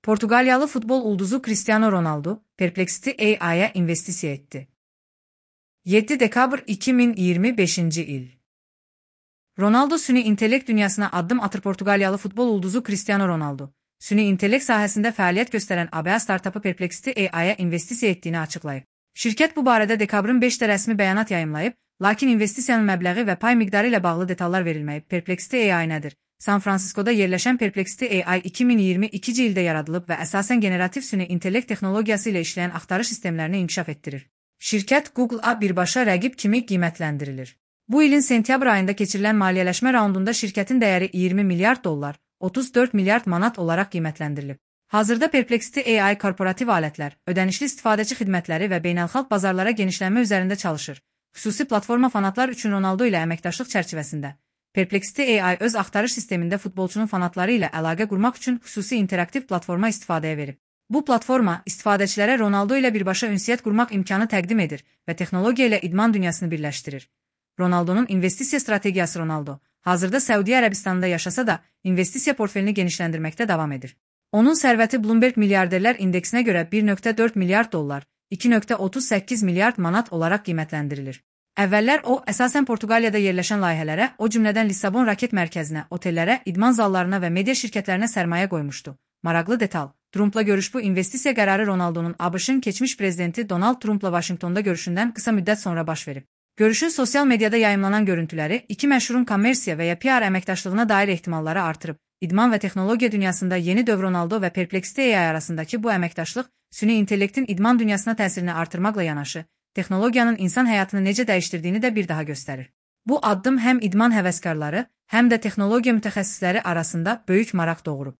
Portugalyalı futbol ulduzu Cristiano Ronaldo, Perplexity AI'ya investisiya etdi. 7 dekabr 2025 il. Ronaldo süni intellekt dünyasına addım atır. Portugalyalı futbol ulduzu Cristiano Ronaldo, süni intellekt sahəsində fəaliyyət göstərən ABA startapı Perplexity AI'ya investisiya etdiyini açıqlayıb. Şirkət bu barədə dekabrın 5-də rəsmi bəyanat yayımlayıb, lakin investisiyanın məbləği və pay miqdarı ilə bağlı detallar verilməyib. Perplexity AI nədir? San Fransiskoda yerləşən Perplexity AI 2022-ci ildə yaradılıb və əsasən generativ süni intellekt texnologiyası ilə işləyən axtarış sistemlərini inkişaf etdirir. Şirkət Google-a birbaşa rəqib kimi qiymətləndirilir. Bu ilin sentyabr ayında keçirilən maliyyələşmə raundunda şirkətin dəyəri 20 milyard dollar, 34 milyard manat olaraq qiymətləndirilib. Hazırda Perplexity AI korporativ alətlər, ödənişli istifadəçi xidmətləri və beynəlxalq bazarlara genişlənmə üzərində çalışır. Xüsusi platforma fanatlar üçün Ronaldo ilə əməkdaşlıq çərçivəsində. Perplexity AI öz axtarış sistemində futbolçunun fanatları ilə əlaqə qurmaq üçün xüsusi interaktiv platforma istifadəyə verib. Bu platforma istifadəçilərə Ronaldo ilə birbaşa ünsiyyət qurmaq imkanı təqdim edir və texnologiya ilə idman dünyasını birləşdirir. Ronaldo'nun investisiya strategiyası. Ronaldo hazırda Səudiyyə Ərəbistanında yaşasa da investisiya portfelini genişləndirməkdə davam edir. Onun sərvəti Bloomberg milyarderlər indeksinə görə 1,4 milyard dollar, 2,38 milyard manat olaraq qiymətləndirilir. Əvvəllər o, əsasən Portuqaliyada yerləşən layihələrə, o cümlədən Lissabon raket mərkəzinə, otellərə, idman zallarına və media şirkətlərinə sərmayə qoymuşdu. Maraqlı detal. Trumpla görüş. Bu investisiya qərarı Ronaldo'nun ABŞ-ın keçmiş prezidenti Donald Trumpla Vaşinqtonda görüşündən qısa müddət sonra baş verib. Görüşün sosial mediada yayımlanan görüntüləri iki məşhurun kommersiya və ya PR əməkdaşlığına dair ehtimalları artırıb. İdman və texnologiya dünyasında yeni dövr. Ronaldo və Perplexity AI arasındakı bu əməkdaşlıq süni intellektin idman dünyasına təsirini artırmaqla yanaşı, texnologiyanın insan həyatını necə dəyişdirdiyini də bir daha göstərir. Bu addım həm idman həvəskarları, həm də texnologiya mütəxəssisləri arasında böyük maraq doğurub.